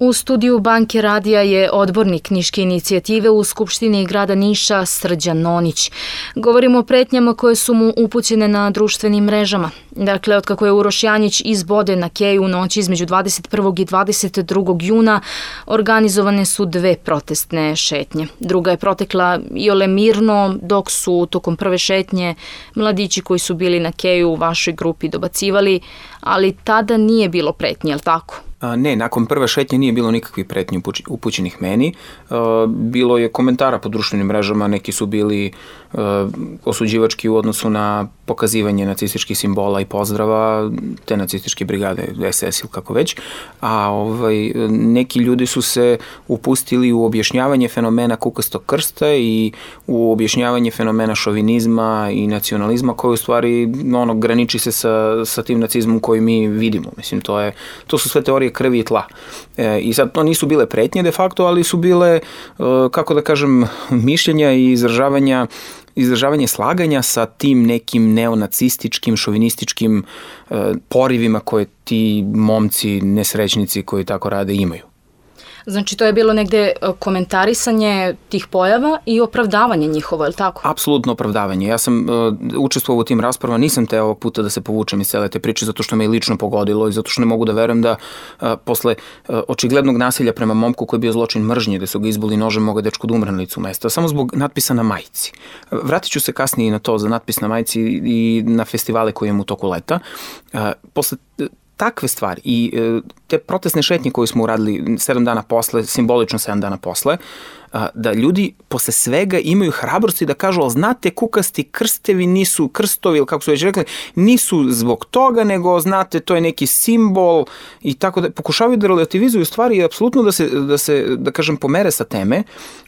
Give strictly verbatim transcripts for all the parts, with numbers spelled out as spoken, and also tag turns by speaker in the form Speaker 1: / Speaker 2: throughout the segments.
Speaker 1: U studiju Banke radija je odbornik Niške inicijative u Skupštini grada Niša Srđan Nonić. Govorimo o pretnjama koje su mu upućene na društvenim mrežama. Dakle, otkako je Uroš Janjić izboden na keju u noći između dvadeset prvog i dvadeset drugog juna, organizovane su dve protestne šetnje. Druga je protekla iole mirno, dok su tokom prve šetnje mladići koji su bili na keju u vašoj grupi dobacivali, ali tada nije bilo pretnje, jel tako?
Speaker 2: Ne, nakon prve šetnje nije bilo nikakvih pretnji upućenih meni. Bilo je komentara po društvenim mrežama, neki su bili osuđivački u odnosu na pokazivanje nacističkih simbola i pozdrava te nacističke brigade, es es ili kako već, a ovaj, neki ljudi su se upustili u objašnjavanje fenomena kukastog krsta i u objašnjavanje fenomena šovinizma i nacionalizma koji u stvari ono, graniči se sa, sa tim nacizmom koji mi vidimo. Mislim, to, je, to su sve teorije krvi i tla. E, I sad to nisu bile pretnje de facto, ali su bile, e, kako da kažem, mišljenja i izražavanja izražavanje slaganja sa tim nekim neonacističkim, šovinističkim e, porivima koje ti momci, nesrećnici koji tako rade imaju.
Speaker 1: Znači, to je bilo negde komentarisanje tih pojava i opravdavanje njihovo, je li tako?
Speaker 2: Apsolutno opravdavanje. Ja sam uh, učestvovao u tim raspravama, nisam te ovog puta da se povučem iz cele te priče zato što me je lično pogodilo i zato što ne mogu da verujem da uh, posle uh, očiglednog nasilja prema momku koji je bio zločin mržnje, da su ga izboli nožem, moga dečko da umre na licu mesta, samo zbog natpisa na majici. Vratit ću se kasnije na to za natpis na majici i na festivale koje imam u toku leta. Uh, posle takve stvari i e, te protestne šetnje koje smo uradili sedam dana posle, simbolično sedam dana posle, a, da ljudi posle svega imaju hrabrosti da kažu, ali znate, kukasti krstevi nisu, krstovi, ili kako su već rekli, nisu zbog toga, nego znate, to je neki simbol i tako da pokušavaju da relativizuju stvari i apsolutno da se, da se, da kažem, pomere sa teme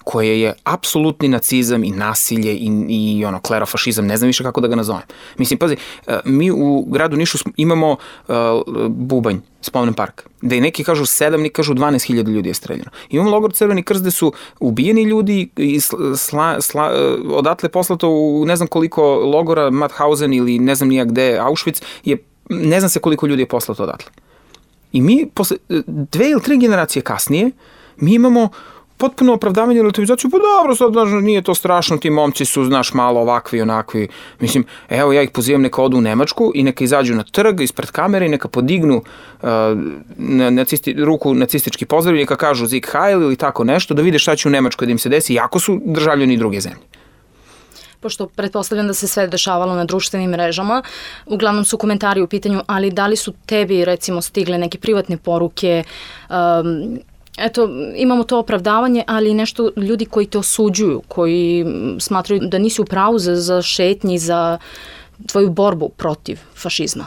Speaker 2: koje je apsolutni nacizam i nasilje i, i ono, klerofašizam, ne znam više kako da ga nazovem. Mislim, pazi, mi u gradu Nišu imamo uh, Bubanj, spomen park, da i neki kažu sedam, neki kažu dvanaest hiljada ljudi je streljano. Imamo logor Crveni krst gde su ubijeni ljudi i sla, sla, odatle poslato u ne znam koliko logora, Mauthausen ili ne znam nijak gde, Auschwitz, je, ne znam se koliko ljudi je poslato odatle. I mi, posle dve ili tri generacije kasnije, mi imamo potpuno opravdavanje i relativizaciju, pa dobro, sad, znaš, nije to strašno, ti momci su, znaš, malo ovakvi i onakvi. Mislim, evo, ja ih pozivam neka odu u Nemačku i neka izađu na trg ispred kamere i neka podignu uh, nacisti, ruku nacistički pozdrav i neka kažu Sieg Heil ili tako nešto, da vide šta će u Nemačkoj da im se desi, jako su državljani druge zemlje.
Speaker 1: Pošto pretpostavljam da se sve dešavalo na društvenim mrežama, uglavnom su komentari u pitanju, ali da li su tebi, recimo, stigle neke privatne poruke, um, eto, imamo to opravdavanje, ali nešto ljudi koji te osuđuju, koji smatraju da nisi u pravu za, za šetnji, za tvoju borbu protiv fašizma?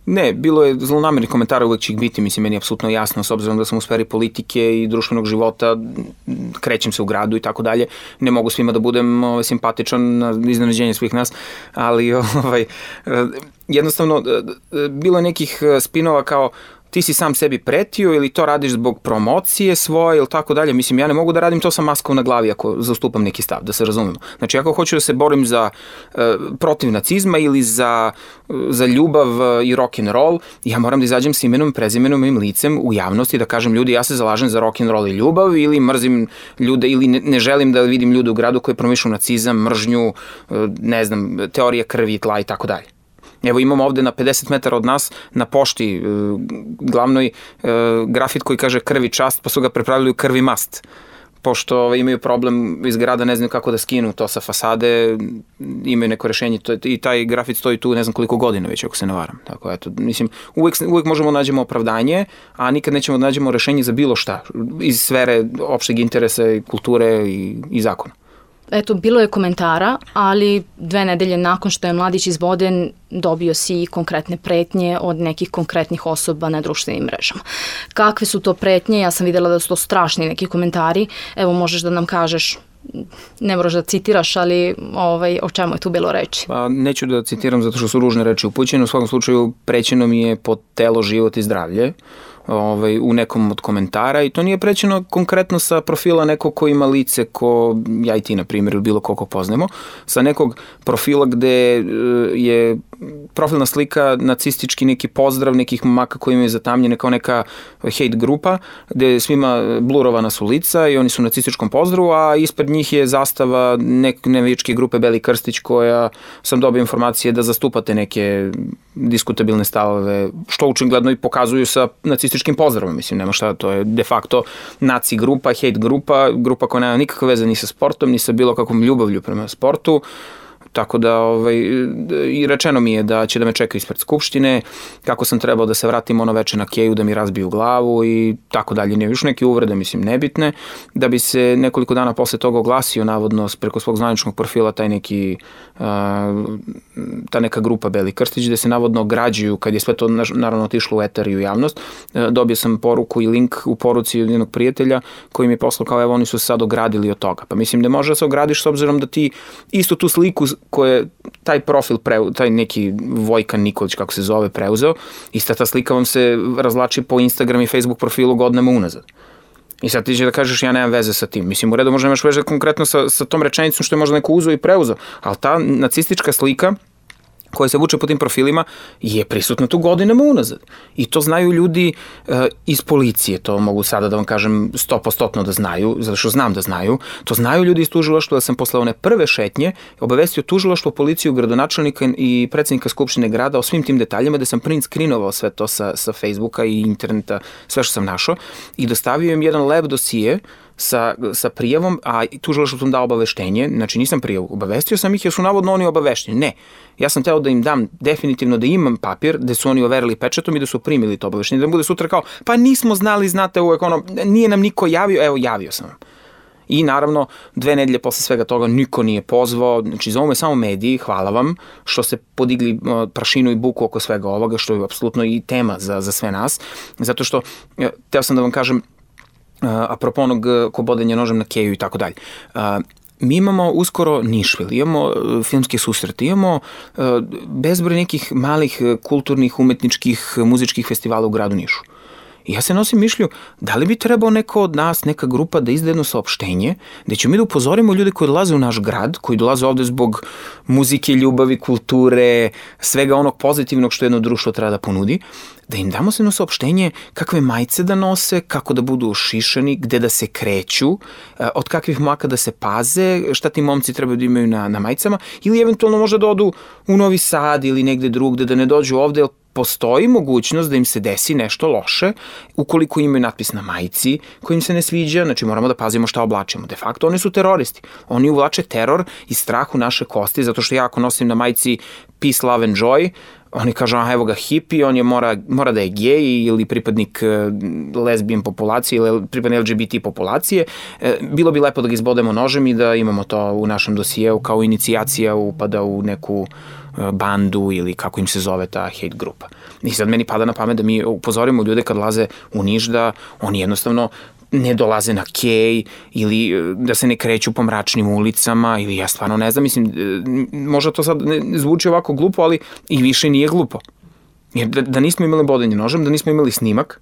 Speaker 2: Ne, bilo je zlonamernih komentara, uvek će ih biti, mislim, meni je apsolutno jasno, s obzirom da sam u sferi politike i društvenog života, krećem se u gradu i tako dalje, ne mogu svima da budem ovaj, simpatičan na iznenađenje svih nas, ali ovaj, jednostavno, bilo je nekih spinova kao ti si sam sebi pretio ili to radiš zbog promocije svoje ili tako dalje. Mislim, ja ne mogu da radim to sa maskom na glavi ako zastupam neki stav, da se razumemo. Znači, ako hoću da se borim za uh, protiv nacizma ili za, uh, za ljubav i rock'n'roll, ja moram da izađem s imenom, prezimenom i licem u javnosti da kažem ljudi, ja se zalažem za rock'n'roll i ljubav ili mrzim ljude ili ne, ne želim da vidim ljude u gradu koji promišljaju nacizam, mržnju, uh, ne znam, teorije krvi i tla i tako dalje. Evo imamo ovde na pedeset metara od nas na pošti glavnoj grafit koji kaže krvi čast, pa su ga prepravili u krvi mast. Pošto imaju problem iz grada, ne znam kako da skinu to sa fasade, imaju neko rešenje i taj grafit stoji tu ne znam koliko godina već, ako se ne varam. Tako, eto, mislim, uvek, uvek možemo da nađemo opravdanje, a nikad nećemo da nađemo rešenje za bilo šta iz sfere opšteg interesa, kulture i, i zakona.
Speaker 1: Eto, bilo je komentara, ali dve nedelje nakon što je mladić izboden, dobio si i konkretne pretnje od nekih konkretnih osoba na društvenim mrežama. Kakve su to pretnje? Ja sam videla da su to strašni neki komentari. Evo, možeš da nam kažeš, ne moraš da citiraš, ali ovaj, o čemu je tu bilo reči?
Speaker 2: Pa, neću da citiram zato što su ružne reči upućene. U svakom slučaju prećeno mi je po telo, život i zdravlje. ovaj, u nekom od komentara i to nije prećeno konkretno sa profila nekog ko ima lice ko ja i ti, na primjer, ili bilo koliko poznajemo, sa nekog profila gde je profilna slika nacistički neki pozdrav nekih momaka koji imaju zatamnjene kao neka hate grupa, gde svima blurovana su lica i oni su u nacističkom pozdravu, a ispred njih je zastava neke navijačke grupe Beli Krstić koja sam dobio informacije da zastupate neke diskutabilne stavove, što učingljedno i pokazuju sa nacističkim pozdravom. Mislim, nema šta, to je de facto naci grupa, hate grupa, grupa koja nema nikakve veze ni sa sportom, ni sa bilo kakvom ljubavlju prema sportu. Tako da ovaj, i rečeno mi je da će da me čeka ispred Skupštine, kako sam trebao da se vratim ono veče na keju, da mi razbiju glavu i tako dalje. Nije još neke uvrede, mislim, nebitne, da bi se nekoliko dana posle toga oglasio, navodno, preko svog zvaničnog profila taj neki, uh, ta neka grupa Beli Krstić, gde se navodno ograđuju, kad je sve to naravno otišlo u eter i u javnost. Uh, dobio sam poruku i link u poruci od jednog prijatelja koji mi je poslao kao evo oni su se sad ogradili od toga. Pa mislim da može da se ogradiš s obzirom da ti isto tu sliku koje taj profil, preu, taj neki Vojkan Nikolić, kako se zove, preuzeo, ista ta slika vam se razlači po Instagram i Facebook profilu godinama unazad. I sad ti će da kažeš ja nemam veze sa tim. Mislim, u redu možda nemaš veze konkretno sa, sa tom rečenicom što je možda neko uzeo i preuzeo, ali ta nacistička slika koja se vuče po tim profilima je prisutna tu godinama unazad. I to znaju ljudi uh, iz policije, to mogu sada da vam kažem sto posto da znaju, zato što znam da znaju, to znaju ljudi iz tužilaštva da sam posle one prve šetnje obavestio tužilaštvo, policiju, gradonačelnika i predsednika Skupštine grada o svim tim detaljima, da sam print screenovao sve to sa, sa Facebooka i interneta, sve što sam našao i dostavio im jedan lep dosije sa, sa prijavom, a tužilaštvo sam dao obaveštenje, znači nisam prijavu, obavestio sam ih jer su navodno oni obavešteni. Ne, ja sam teo da im dam definitivno da imam papir, da su oni overili pečatom i da su primili to obaveštenje, da bude sutra kao, pa nismo znali, znate uvek ono, nije nam niko javio, evo javio sam vam. I naravno, dve nedelje posle svega toga niko nije pozvao, znači zovu me samo mediji, hvala vam što ste podigli prašinu i buku oko svega ovoga, što je apsolutno i tema za, za sve nas, zato što, teo sam da vam kažem, apropo onog ko bodenja nožem na keju i tako dalje. Mi imamo uskoro Nišvil, imamo filmske susrete, imamo bezbroj nekih malih kulturnih, umetničkih, muzičkih festivala u gradu Nišu. I ja se nosim mišlju, da li bi trebao neko od nas, neka grupa da izda jedno saopštenje, gde ćemo mi da upozorimo ljude koji dolaze u naš grad, koji dolaze ovde zbog muzike, ljubavi, kulture, svega onog pozitivnog što jedno društvo treba da ponudi, da im damo se jedno saopštenje kakve majice da nose, kako da budu ušišani, gde da se kreću, od kakvih mlaka da se paze, šta ti momci trebaju da imaju na, na majicama, ili eventualno možda da odu u Novi Sad ili negde drugde, da ne dođu ovde, jer postoji mogućnost da im se desi nešto loše ukoliko imaju natpis na majici koji im se ne sviđa, znači moramo da pazimo šta oblačimo. De facto oni su teroristi. Oni uvlače teror i strah u naše kosti, zato što ja ako nosim na majici Peace, Love and Joy, oni kažu, aha, evo ga hippie, on je mora, mora da je gej ili pripadnik lesbijan populacije ili pripadnik L G B T populacije. Bilo bi lepo da ga izbodemo nožem i da imamo to u našem dosijeu kao inicijacija upada u neku bandu ili kako im se zove ta hate grupa. I sad meni pada na pamet da mi upozorimo ljude kad laze u Niš da oni jednostavno ne dolaze na kej ili da se ne kreću po mračnim ulicama ili ja stvarno ne znam, mislim, možda to sad ne zvuči ovako glupo, ali i više nije glupo. Jer da, da nismo imali bodenje nožem, da nismo imali snimak,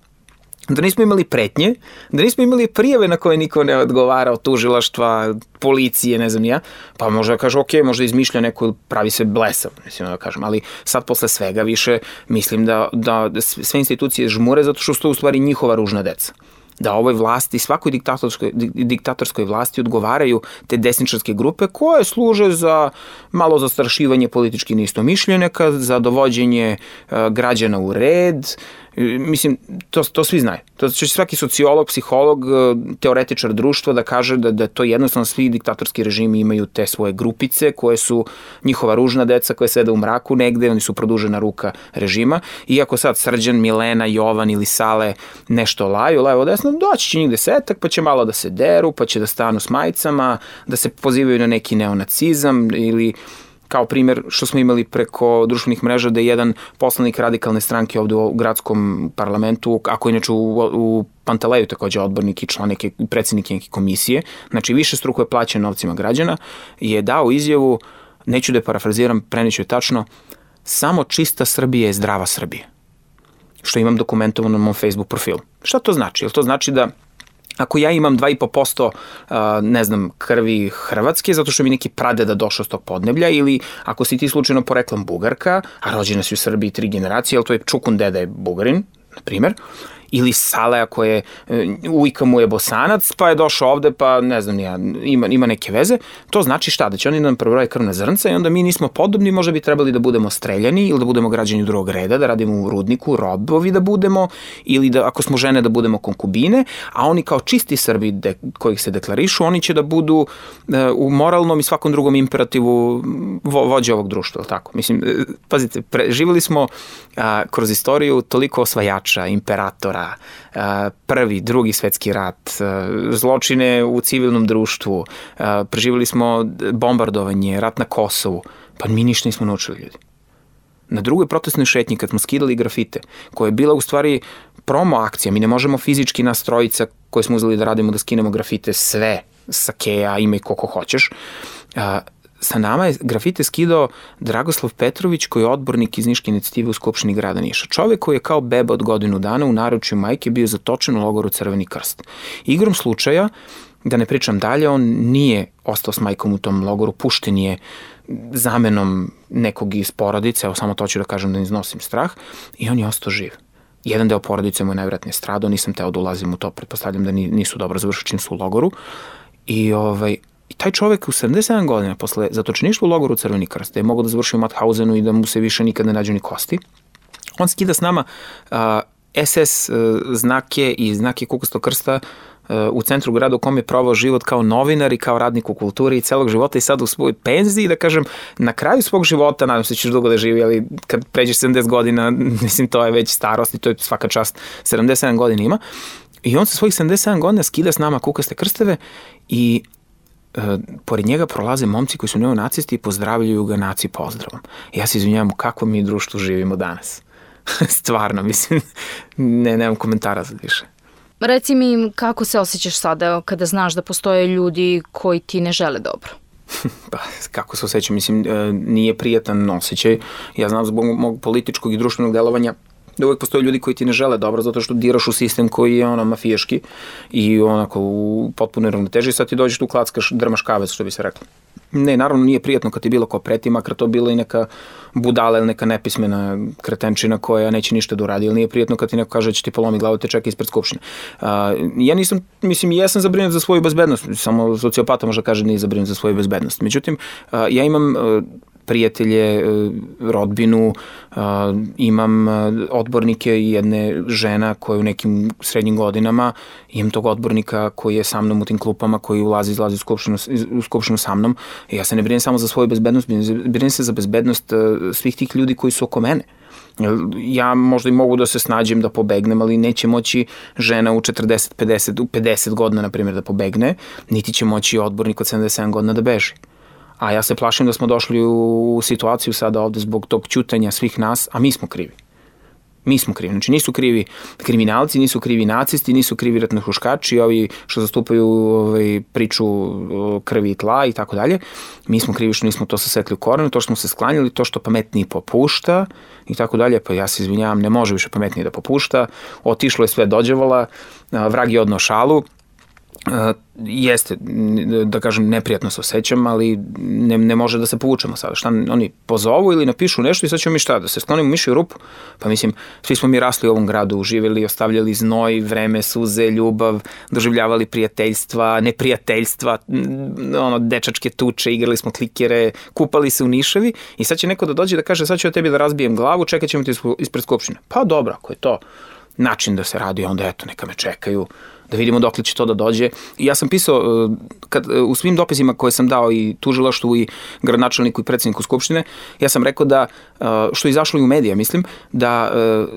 Speaker 2: da nismo imali pretnje, da nismo imali prijave na koje niko ne odgovara od tužilaštva, policije, ne znam ja, pa možda da kaže, ok, možda izmišlja neko ili pravi se blesav, mislim da kažem, ali sad posle svega više mislim da, da sve institucije žmure zato što su to u stvari njihova ružna deca. Da ovoj vlasti, svakoj diktatorskoj, diktatorskoj vlasti odgovaraju te desničarske grupe koje služe za malo zastrašivanje politički neistomišljenika, za dovođenje uh, građana u red. Mislim, to, to svi znaju. To će svaki sociolog, psiholog, teoretičar društva da kaže da, da to jednostavno svi diktatorski režimi imaju te svoje grupice koje su njihova ružna deca koje sede u mraku negde, oni su produžena ruka režima. Iako sad Srđan, Milena, Jovan ili Sale nešto laju, levo desno, doći će njih desetak, pa će malo da se deru, pa će da stanu s majicama, da se pozivaju na neki neonacizam ili kao primjer što smo imali preko društvenih mreža da je jedan poslanik radikalne stranke ovde u gradskom parlamentu, ako inače u, u Panteleju takođe odbornik i član neke, predsjednik neke komisije, znači više struko je plaćen novcima građana, je dao izjavu, neću da je parafraziram, preneću je tačno, samo čista Srbija je zdrava Srbija. što imam dokumentovano na mom Facebook profilu. Šta to znači? Jel to znači da ako ja imam dva i po posto ne znam, krvi Hrvatske, zato što mi neki pradeda došao s tog podneblja, ili ako si ti slučajno poreklom Bugarka, a rođena si u Srbiji tri generacije, ali to je Čukun deda je Bugarin, na primer, ili Saleja koje ujka mu je Bosanac, pa je došao ovde, pa ne znam, ja, ima, ima neke veze, to znači šta? Da će oni nam prebroje krvna zrnca i onda mi nismo podobni, možda bi trebali da budemo streljani ili da budemo građani drugog reda, da radimo u rudniku, robovi da budemo, ili da ako smo žene da budemo konkubine, a oni kao čisti Srbi de, kojih se deklarišu, oni će da budu e, u moralnom i svakom drugom imperativu vo, vođe ovog društva, ili tako? Mislim, e, pazite, preživjeli smo a, kroz istoriju toliko osvajača, imperatora, prvi, drugi svetski rat, zločine u civilnom društvu, preživjeli smo bombardovanje, rat na Kosovu, pa mi ništa nismo naučili, ljudi. Na drugoj protestnoj šetnji, kad smo skidali grafite, koja je bila u stvari promo akcija, mi ne možemo fizički nas trojica koje smo uzeli da radimo da skinemo grafite sve, sa Keja, ima i koliko hoćeš, sa nama je grafite skidao Dragoslav Petrović, koji je odbornik iz Niške inicijative u Skupštini grada Niša. Čovek koji je kao beba od godinu dana u naručju majke bio zatočen u logoru Crveni krst. Igrom slučaja, da ne pričam dalje, on nije ostao s majkom u tom logoru, pušten je zamenom nekog iz porodice, evo samo to ću da kažem da ne iznosim strah, i on je ostao živ. Jedan deo porodice mu je najvratnije stradao, nisam teo da ulazim u to, pretpostavljam da nisu dobro završili čim su u logoru. I ovaj... I taj čovek u sedamdeset sedam godina posle zatočeništva u logoru Crveni krst, da je mogao da završi u Mauthausenu i da mu se više nikad ne nađu ni kosti, on skida s nama uh, es es uh, znake i znake Kukastog krsta uh, u centru grada u kom je provao život kao novinar i kao radnik u kulturi i celog života, i sad u svojoj penziji, da kažem, na kraju svog života, nadam se da ćeš dugo da živi, ali kad pređeš sedamdeset godina, mislim, to je već starost i to je svaka čast, sedamdeset sedam godina ima, i on sa svojih sedamdeset sedam godina skida s nama Kukaste krsteve i Uh, pored njega prolaze momci koji su neonacisti i pozdravljaju ga naci pozdravom. Ja se izvinjavam, u kakvom mi društvu živimo danas. Stvarno, mislim, ne, nemam komentara za više.
Speaker 1: Reci mi, kako se osjećaš sada kada znaš da postoje ljudi koji ti ne žele dobro?
Speaker 2: Pa, kako se osjećam? Mislim, nije prijatan osjećaj. Ja znam zbog mog političkog i društvenog delovanja da uvek postoje ljudi koji ti ne žele dobro zato što diraš u sistem koji je ono mafijaški i onako u potpunoj ravnoteži, sad ti dođeš tu klackaš, drmaš kavez, što bi se reklo. Ne, naravno nije prijatno kad ti bilo ko preti, makar to bila i neka budala ili neka nepismena kretenčina koja neće ništa da uradi, ili nije prijatno kad ti neko kaže da će ti polomi glavu, te čeka ispred Skupštine. Uh, ja nisam, mislim, jesam zabrinut za svoju bezbednost, samo sociopata može kaže da nije zabrinut za svoju bezbednost. Međutim, uh, ja imam uh, prijatelje, rodbinu, imam odbornike i jedne žena koja je u nekim srednjim godinama, imam tog odbornika koji je sa mnom u tim klupama, koji ulazi i izlazi u skupštinu, u skupštinu sa mnom. Ja se ne brinem samo za svoju bezbednost, brinem se za bezbednost svih tih ljudi koji su oko mene. Ja možda i mogu da se snađem da pobegnem, ali neće moći žena u četrdeset, pedeset, u pedeset godina, na primjer, da pobegne, niti će moći odbornik od sedamdeset sedam godina da beži. A ja se plašim da smo došli u situaciju sada ovde zbog tog ćutanja svih nas, a mi smo krivi. Mi smo krivi. Znači nisu krivi kriminalci, nisu krivi nacisti, nisu krivi ratnohuškači, ovi što zastupaju ovaj, priču krvi i tla i tako dalje. Mi smo krivi što nismo to sasekli u korenu, to što smo se sklanjali, to što pametniji popušta i tako dalje. Pa ja se izvinjavam, ne može više pametniji da popušta. Otišlo je sve dođevala, vrag je odneo šalu. Uh, jeste, da kažem, neprijatno se osjećam, ali ne, ne može da se povučemo sada. Šta oni pozovu ili napišu nešto i sad ćemo mi šta, da se sklonimo miši u rupu? Pa mislim, svi smo mi rasli u ovom gradu, živjeli, ostavljali znoj, vreme, suze, ljubav, doživljavali prijateljstva, neprijateljstva, ono, dečačke tuče, igrali smo klikere, kupali se u Niševi i sad će neko da dođe da kaže sad ću ja tebi da razbijem glavu, čekat ćemo ti ispred Skupštine. Pa dobro, ako je to način da se radi, onda eto, neka me čekaju, da vidimo dokle će to da dođe. I ja sam pisao kad, u svim dopisima koje sam dao i tužilaštvu i gradonačelniku i predsjedniku Skupštine, ja sam rekao da, što je izašlo i u medije, mislim, da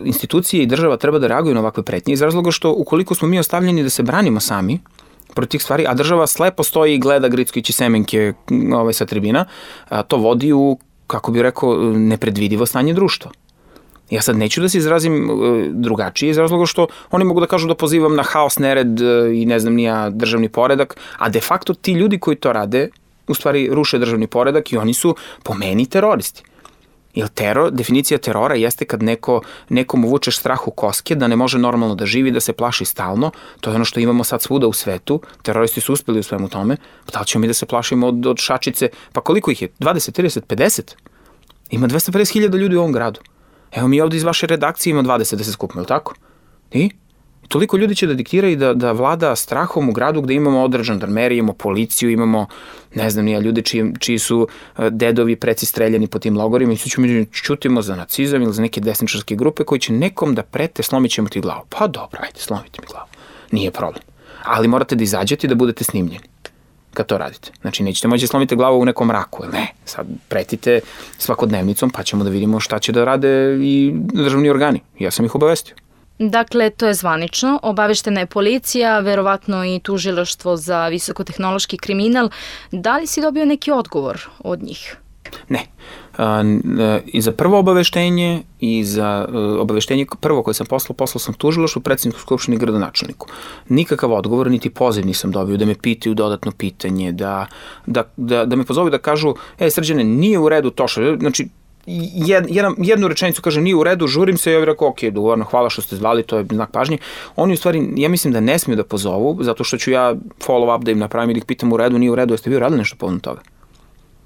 Speaker 2: institucije i država treba da reaguju na ovakve pretnje iz razloga što ukoliko smo mi ostavljeni da se branimo sami protiv tih stvari, a država slepo stoji i gleda Gricković i Semenke ovaj, sa tribina, to vodi u, kako bih rekao, nepredvidivo stanje društva. Ja sad neću da se izrazim drugačije iz razloga što oni mogu da kažu da pozivam na haos, nered i ne znam nija državni poredak, a de facto ti ljudi koji to rade u stvari ruše državni poredak i oni su po meni teroristi. Jer teror, definicija terora jeste kad neko, nekom uvučeš strah u koske, da ne može normalno da živi, da se plaši stalno. To je ono što imamo sad svuda u svetu. Teroristi su uspeli u svemu tome. Pa da li ćemo mi da se plašimo od, od šačice? Pa koliko ih je? dvadeset, trideset, pedeset? Ima dvesta pedeset hiljada ljudi u ovom gradu. Evo mi ovde iz vaše redakcije ima dvadeset da se skupimo, je li tako? I? Toliko ljudi će da diktira i da, da vlada strahom u gradu gde imamo određen žandarmeriju, imamo policiju, imamo, ne znam, nije ljudi čiji, čiji su dedovi preci streljani po tim logorima i svi ćemo čutimo za nacizam ili za neke desničarske grupe koji će nekom da prete, slomit ćemo ti glavu. Pa dobro, ajde, slomite mi glavu. Nije problem. Ali morate da izađete i da budete snimljeni kad to radite. Znači, nećete moći da slomite glavu u nekom mraku. Ne, sad pretite svakodnevnicom pa ćemo da vidimo šta će da rade i državni organi. Ja sam ih obavestio.
Speaker 1: Dakle, to je zvanično, obaveštena je policija, verovatno i tužilaštvo za visokotehnološki kriminal. Da li si dobio neki odgovor od njih?
Speaker 2: Ne. I za prvo obaveštenje i za obaveštenje prvo koje sam poslao, poslao sam tužilaštvu, predsjedniku Skupštine i gradonačelniku. Nikakav odgovor, niti poziv nisam dobio da me pitaju dodatno pitanje, da, da, da, da me pozovu da kažu, e, Srđane, nije u redu to što, znači, Jed, jedan, jednu rečenicu kaže nije u redu, žurim se i ja bih rekao ok, dogovorno, hvala što ste zvali, to je znak pažnje. Oni u stvari, ja mislim da ne smiju da pozovu, zato što ću ja follow up da im napravim i da ih pitam u redu, nije u redu, jeste vi uradili nešto povodom toga?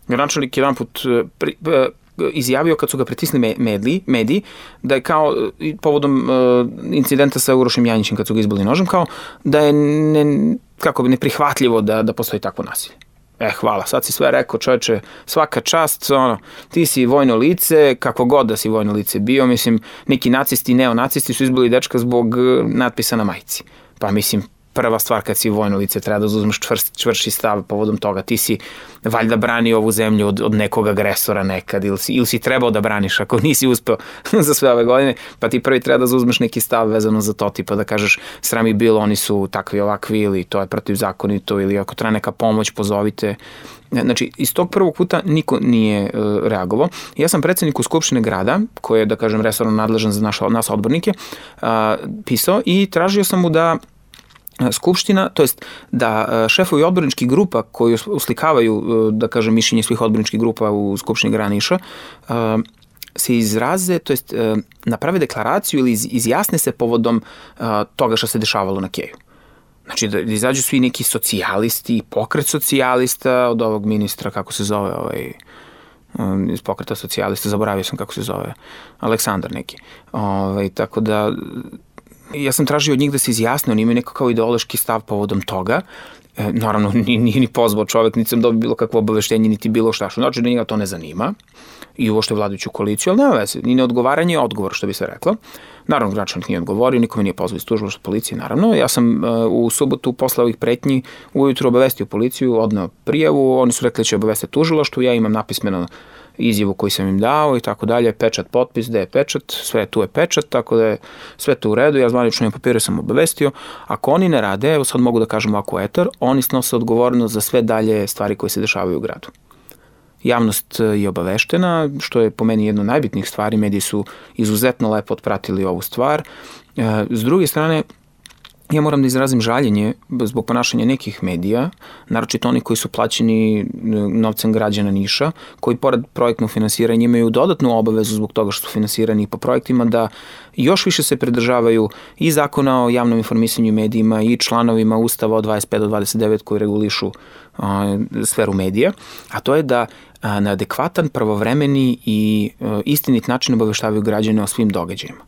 Speaker 2: Gradonačelnik jedan put pri, pri, izjavio kad su ga pritisli mediji, mediji da je kao povodom uh, incidenta sa Urošem Janjićem kad su ga izbili nožem, kao da je ne, kako bi neprihvatljivo da, da postoji takvo nasilje. E, hvala, sad si sve rekao, čoveče, svaka čast, ono, ti si vojno lice, kako god da si vojno lice bio, mislim, neki nacisti i neonacisti su izbili dečka zbog natpisa na majici. Pa mislim, prva stvar kad si vojno lice treba da uzmeš čvrst, čvrši stav povodom toga. Ti si valjda brani ovu zemlju od, od nekog agresora nekad ili si, ili si trebao da braniš ako nisi uspeo za sve ove godine, pa ti prvi treba da zauzmeš neki stav vezano za to, tipa da kažeš sram ih bilo, oni su takvi ovakvi ili to je protivzakonito ili ako treba neka pomoć pozovite. Znači, iz tog prvog puta niko nije uh, reagovao. Ja sam predsjedniku Skupštine grada, koji je, da kažem, resorno nadležan za naš, nas odbornike, uh, pisao i tražio sam mu da Skupština, to jest da šefovi odborničkih grupa koji uslikavaju, da kažem, mišljenje svih odborničkih grupa u Skupštini grada Niša, se izraze, to jest naprave deklaraciju ili izjasne se povodom toga što se dešavalo na Keju. Znači da izađu svi neki socijalisti, pokret socijalista od ovog ministra, kako se zove, ovaj, iz pokreta socijalista, zaboravio sam kako se zove, Aleksandar neki. Ovaj, tako da ja sam tražio od njih da se izjasne, oni imaju neko kao ideološki stav povodom toga. E, naravno, nije, nije ni pozvao čovek, niti sam dobio bilo kakvo obaveštenje, niti bilo šta. Što znači da njega to ne zanima i uopšte vladajuću koaliciju, ali nema veze. Ni neodgovaranje je odgovor, što bi se reklo. Naravno, gradonačelnik nije odgovorio, nikome nije pozvao iz tužilaštva policije, naravno. Ja sam uh, u subotu posle ovih pretnji ujutru obavestio policiju, odneo prijavu, oni su rekli da će obavestiti tužilaštvo, ja imam napismeno izjavu koju sam im dao i tako dalje, pečat, potpis, gde je pečat, sve tu je pečat, tako da je sve to u redu, ja zvanično im papire sam obavestio. Ako oni ne rade, evo sad mogu da kažem ovako etar, oni snose odgovornost za sve dalje stvari koje se dešavaju u gradu. Javnost je obaveštena, što je po meni jedno od najbitnijih stvari, mediji su izuzetno lepo otpratili ovu stvar. S druge strane, ja moram da izrazim žaljenje zbog ponašanja nekih medija, naročito oni koji su plaćeni novcem građana Niša, koji pored projektnog finansiranja imaju dodatnu obavezu zbog toga što su finansirani po projektima da još više se pridržavaju i zakona o javnom informisanju i medijima i članovima Ustava od dvadeset pet do dvadeset devet koji regulišu a, sferu medija, a to je da a, na adekvatan, pravovremeni i a, istinit način obaveštavaju građane o svim događajima.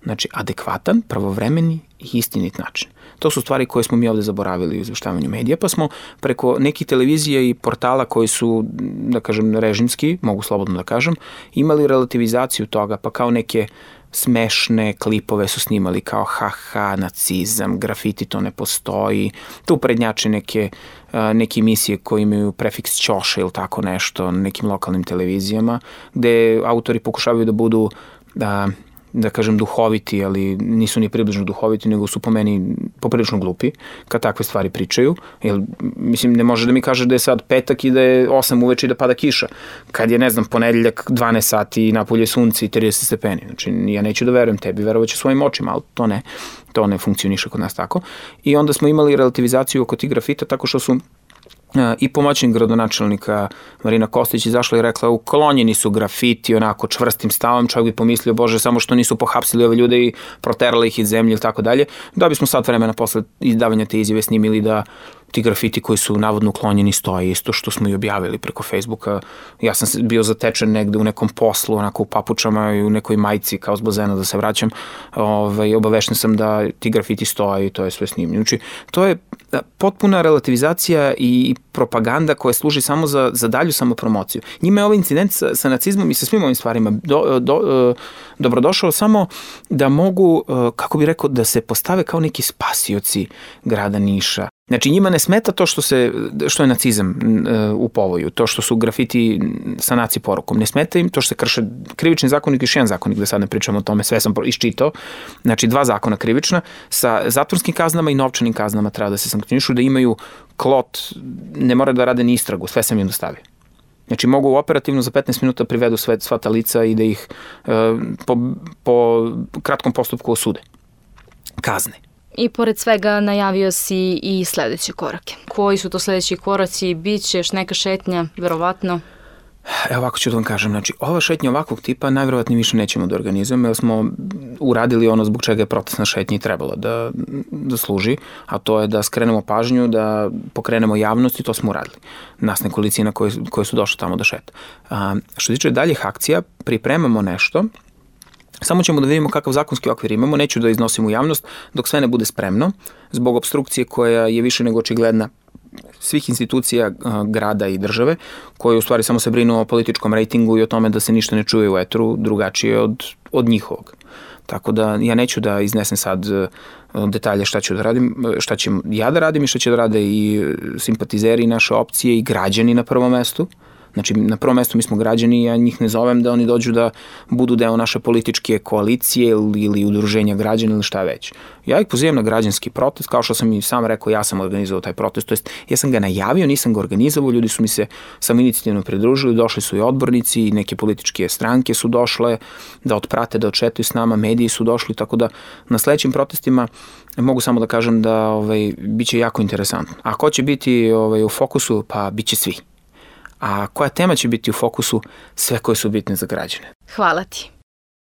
Speaker 2: Znači, adekvatan, pravovremeni i istinit način. To su stvari koje smo mi ovde zaboravili u izveštavanju medija, pa smo preko nekih televizija i portala koji su, da kažem, režimski, mogu slobodno da kažem, imali relativizaciju toga, pa kao neke smešne klipove su snimali kao haha, nacizam, grafiti, to ne postoji, tu prednjače neke, neke emisije koje imaju prefiks ćoša ili tako nešto na nekim lokalnim televizijama, gde autori pokušavaju da budu da da kažem duhoviti, ali nisu ni približno duhoviti, nego su po meni poprilično glupi kad takve stvari pričaju. Jer, mislim, ne može da mi kaže da je sad petak i da je osam uveče i da pada kiša. Kad je, ne znam, ponedeljak dvanaest sati i napolje sunce i trideset stepeni. Znači, ja neću da verujem tebi, verovaću svojim očima, ali to ne. To ne funkcioniše kod nas tako. I onda smo imali relativizaciju oko tih grafita tako što su i pomoćnik gradonačelnika Marina Kostić izašla i rekla uklonjeni su grafiti onako čvrstim stavom, čovjek bi pomislio bože samo što nisu pohapsili ove ljude i proterali ih iz zemlje ili tako dalje. Da bismo sad vremena posle izdavanja te izjave snimili da ti grafiti koji su navodno uklonjeni stoje isto što smo i objavili preko Facebooka. Ja sam bio zatečen negde u nekom poslu, onako u papučama i u nekoj majici kao s bazena da se vraćam. Ove, obavešten sam da ti grafiti stoje i to je sve snimljeno. Znači, to je potpuna relativizacija i propaganda koja služi samo za, za dalju samopromociju. Njima je ovaj incident sa, sa nacizmom i sa svim ovim stvarima do, do, dobrodošao samo da mogu, kako bi rekao, da se postave kao neki spasioci grada Niša. Znači njima ne smeta to što, se, što je nacizam u povoju, to što su grafiti sa naci porukom. Ne smeta im to što se krše krivični zakonik i još jedan zakonik, da sad ne pričamo o tome, sve sam iščitao. Znači dva zakona krivična sa zatvorskim kaznama i novčanim kaznama treba da se sankcionišu, da imaju klot, ne mora da rade ni istragu, sve sam im dostavio. Znači mogu operativno za petnaest minuta privedu sve, sva ta lica i da ih e, po, po kratkom postupku osude. Kazne.
Speaker 1: I pored svega najavio si i sledeće korake. Koji su to sledeći koraci? Biće još neka šetnja, verovatno?
Speaker 2: Evo ovako ću da vam kažem, znači ova šetnja ovakvog tipa najverovatnije više nećemo da organizujemo jer smo uradili ono zbog čega je protestna šetnja i trebala da, da služi, a to je da skrenemo pažnju, da pokrenemo javnost i to smo uradili. Nas nekolicina koje, koje su došle tamo da šeta. A, što tiče daljih akcija, pripremamo nešto. Samo ćemo da vidimo kakav zakonski okvir imamo, neću da iznosim u javnost dok sve ne bude spremno, zbog obstrukcije koja je više nego očigledna svih institucija grada i države, koje u stvari samo se brinu o političkom rejtingu i o tome da se ništa ne čuje u etru drugačije od, od njihovog. Tako da ja neću da iznesem sad detalje šta ću da radim, šta ću ja da radim i šta će da rade i simpatizeri naše opcije i građani na prvom mestu. Znači, na prvom mestu mi smo građani i ja njih ne zovem da oni dođu da budu deo naše političke koalicije ili, ili udruženja građana ili šta već. Ja ih pozivam na građanski protest, kao što sam i sam rekao, ja sam organizovao taj protest, to jest ja sam ga najavio, nisam ga organizovao, ljudi su mi se samoinicijativno pridružili, došli su i odbornici i neke političke stranke su došle da otprate, da odšetuju s nama, mediji su došli, tako da na sledećim protestima mogu samo da kažem da ovaj, bit će jako interesantno. A ko će biti ovaj, u fokusu? Pa bit će svi. A koja tema će biti u fokusu? Sve koje su bitne za građane.
Speaker 1: Hvala ti.